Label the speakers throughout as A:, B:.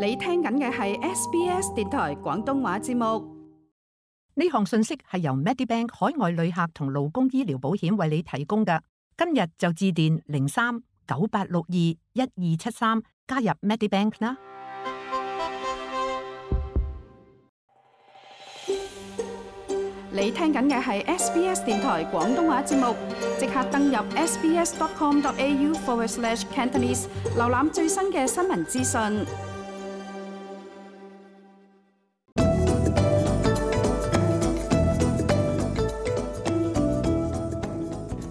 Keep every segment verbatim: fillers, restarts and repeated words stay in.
A: 你聽緊嘅係 S B S 電台廣東話節目。
B: 呢項信息係由 Medibank 海外旅客同勞工醫療保險為你提供嘅。今日就致電零三九八六二一二七三加入 Medibank 啦。
A: 你聽緊嘅係 S B S 電台廣東話節目，即刻登入 sbs.com.au forward slash Cantonese， 瀏覽最新嘅新聞資訊。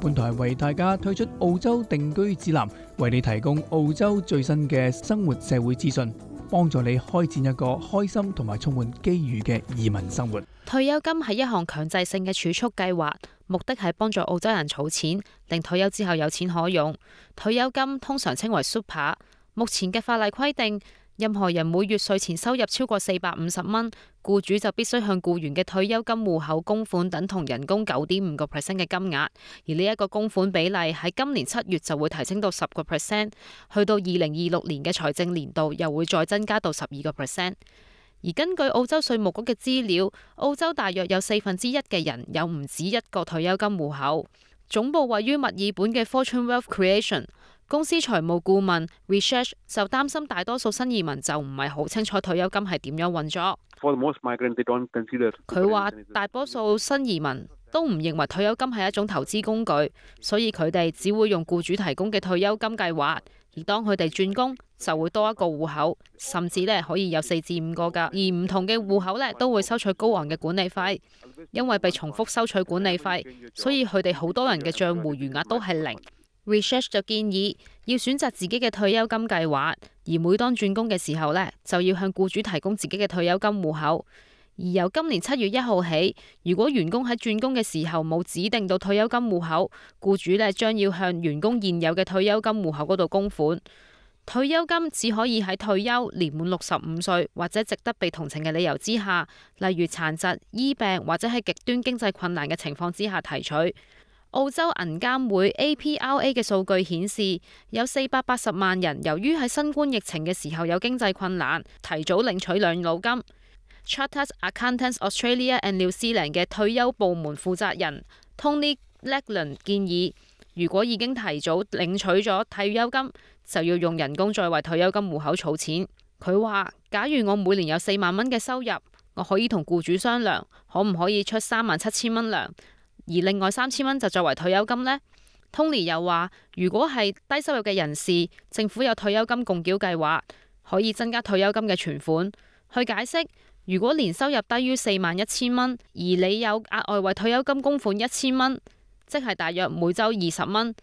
C: 本台為大家推出澳洲定居指南，為你提供澳洲最新嘅生活社會資訊，幫助你開展一個開心同埋充滿機遇嘅移民生活。
D: 退休金係一項強制性嘅儲蓄計劃，目的係幫助澳洲人儲錢，令退休之後有錢可用。退休金通常稱為 Super。目前嘅法例規定，任何人每月稅前收入超過四百五十蚊，僱主就必須向僱員嘅退休金戶口供款等同人工九點五個 percent 嘅金額，而呢一個供款比例喺今年七月就會提升到十個 percent， 去到二零二六年嘅財政年度又會再增加到十二個 percent。而根據澳洲稅務局嘅資料，澳洲大約有四分之一嘅人有唔止一個退休金戶口。總部位於墨爾本嘅 Fortune Wealth Creation公司財務顧問 Research 就擔心大多數新移民就唔係好清楚退休金係點樣運作。佢話大多數新移民都唔認為退休金係一種投資工具，所以佢哋只會用僱主提供嘅退休金計劃。而當佢哋轉工，就會多一個戶口，甚至咧可以有四至五個㗎。而唔同嘅戶口咧都會收取高昂嘅管理費，因為被重複收取管理費，所以佢哋好多人嘅帳戶餘額都係零。Research 就建議要選擇自己嘅退休金計劃，而每當轉工嘅時候咧，就要向僱主提供自己嘅退休金戶口。而由今年七月一號起，如果員工喺轉工嘅時候冇指定到退休金戶口，僱主咧將要向員工現有嘅退休金戶口嗰度供款。退休金只可以喺退休年滿六十五歲或者值得被同情嘅理由之下，例如殘疾、醫病或者係極端經濟困難嘅情況之下提取。澳洲銀監會 A P R A 嘅數據顯示，有四百八十萬人由於喺新冠疫情嘅時候有經濟困難，提早領取養老金。Chartered Accountants Australia and New Zealand 嘅退休部門負責人 Tony Legland 建議，如果已經提早領取咗退休金，就要用人工再為退休金戶口儲錢。佢話：假如我每年有四萬蚊嘅收入，我可以同僱主商量，可唔可以出三萬七千蚊糧，而另外三千蚊就作為退休金呢？ Tony 又話：如果係低收入嘅人士，政府有退休金共繳計劃，可以增加退休金嘅存款。去解釋，如果年收入低於四萬一千蚊，而你有額外為退休金供款一千蚊，即係大約每週二十蚊，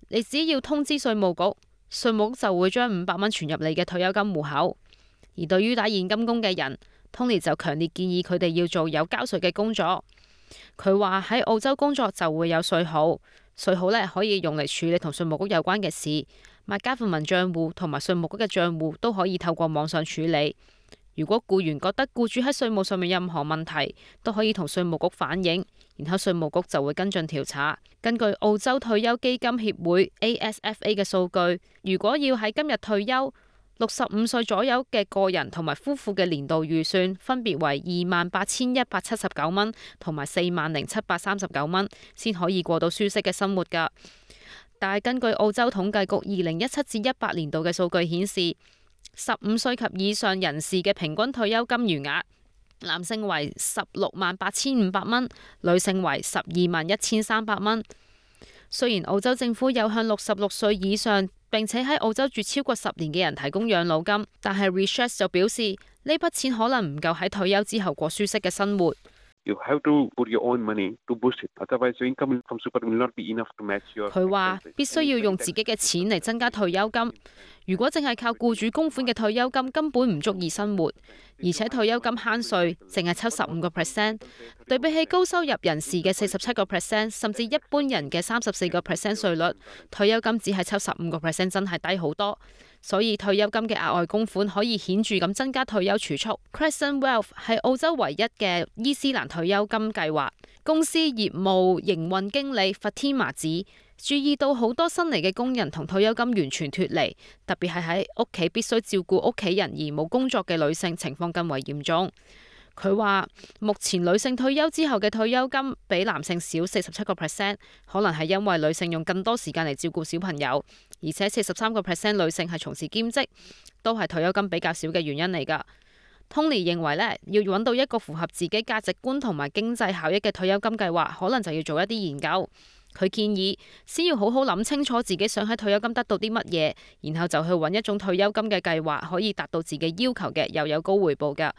D: 你只要通知稅務局，稅務局就會將五百蚊存入你嘅退休金戶口。而對於打現金工嘅人，Tony 就強烈建議佢哋要做有交稅嘅工作。佢話喺澳洲工作就會有稅號，稅號咧可以用嚟處理同稅務局有關嘅事，麥加富民帳戶同埋稅務局嘅帳戶都可以透過網上處理。如果僱員覺得僱主喺稅務上面任何問題，都可以同稅務局反映，然後稅務局就會跟進調查。根據澳洲退休基金協會 A S F A 嘅數據，如果要喺今日退休，六十五歲左右嘅個人同埋夫婦嘅年度預算分別為二萬八千一百七十九蚊同埋四萬零七百三十九蚊，先可以過到舒適嘅生活㗎。但係根據澳洲統計局二零一七至一八年度嘅數據顯示，十五歲及以上人士嘅平均退休金餘額，男性為十六萬八千五百蚊，女性為十二萬一千三百蚊。雖然澳洲政府有向六十六歲以上並且喺澳洲住超過十年嘅人提供養老金，但係 Research 就表示呢筆錢可能唔夠喺退休之後過舒適嘅生活。佢話必須要用自己嘅錢嚟增加退休金。如果淨係靠僱主供款嘅退休金，根本唔足以生活，而且退休金慳稅，淨係抽十五個 percent， 對比起高收入人士嘅四十七個 percent， 甚至一般人嘅三十四個 percent 稅率，退休金只係抽十五個 percent， 真係低好多。所以退休金嘅額外供款可以顯著咁增加退休儲蓄。Crescent Wealth 係澳洲唯一嘅伊斯蘭退休金計劃。公司業務營運經理 Fatima 指，注意到好多新嚟嘅工人同退休金完全脫離，特別係喺屋企必須照顧屋企人而冇工作嘅女性情況更為嚴重。佢話目前女性退休之後嘅退休金比男性少四十七個 percent， 可能係因為女性用更多時間嚟照顧小朋友，而且四十三個 percent 女性係從事兼職，都係退休金比較少嘅原因嚟㗎。Tony 認為咧，要揾到一個符合自己價值觀同埋經濟效益嘅退休金計劃，可能就要做一啲研究。佢建議先要好好諗清楚自己想喺退休金得到啲乜嘢，然後就去揾一種退休金嘅計劃，可以達到自己要求嘅，又有高回報㗎。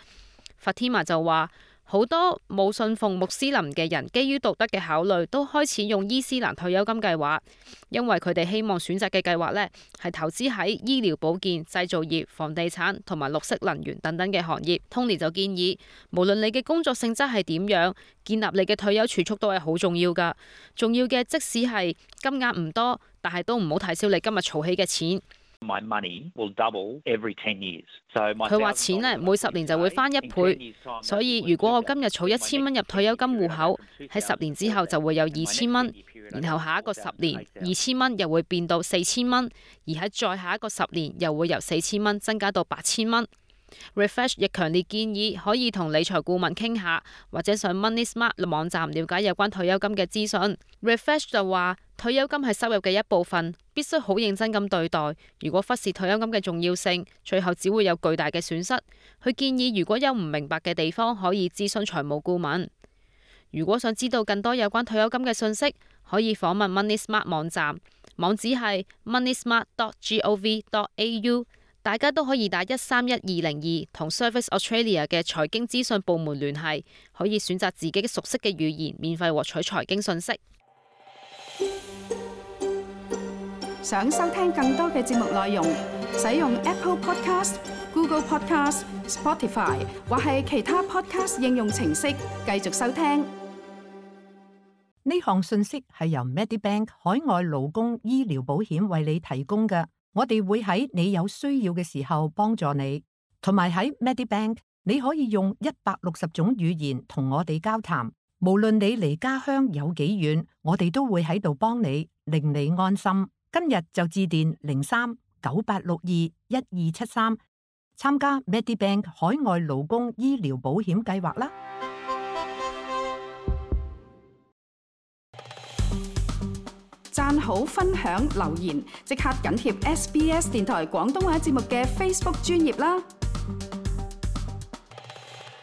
D: Fatima 就話，好多冇信奉穆斯林嘅人，基於道德嘅考慮，都開始用伊斯蘭退休金計劃，因為佢哋希望選擇嘅計劃呢係投資喺醫療保健、製造業、房地產同埋綠色能源等等嘅行業。Tony 就建議，無論你嘅工作性質係點樣，建立你嘅退休儲蓄都係好重要㗎。重要嘅即使係金額唔多，但係都唔好睇小你今日儲起嘅錢。
E: My money will double every ten years. So
D: 佢話錢呢每十年就會翻一倍，所以如果我今日儲一千蚊入退休金戶口，喺十年之後就會有二千蚊，然後下一個十年二千蚊又會變到四千蚊，而喺再下一個十年又會由四千蚊增加到八千蚊。Refresh 亦強烈建議可以同理財顧問傾下，或者上 Money Smart 網站了解有關退休金嘅資訊。Refresh 就話退休金係收入嘅一部分，必須好認真咁對待。如果忽視退休金嘅重要性，最後只會有巨大嘅損失。佢建議如果有唔明白嘅地方，可以諮詢財務顧問。如果想知道更多有關退休金嘅信息，可以訪問 Money Smart 網站，網址係 money smart dot gov dot a u。大家都可以打一三一二零二同 Service Australia 嘅財經資訊部門聯繫，可以選擇自己熟悉嘅語言，免費獲取財經信息。
A: 想收聽更多嘅節目內容，使用 Apple Podcast、Google Podcast、Spotify 或係其他 Podcast 應用程式繼續收聽。
B: 呢項信息係由 Medibank 海外勞工醫療保險為你提供嘅。我哋會喺你有需要嘅時候幫助你，同埋喺 Medibank 你可以用一百六十種語言同我哋交談。無論你離家鄉有幾遠，我哋都會喺度幫你，令你安心。今日就致電零三九八六二一二七三，參加 Medibank 海外勞工醫療保險計劃啦。
A: 讚好、分享、留言，即刻緊貼 S B S 電台廣東話節目嘅 Facebook 專頁啦！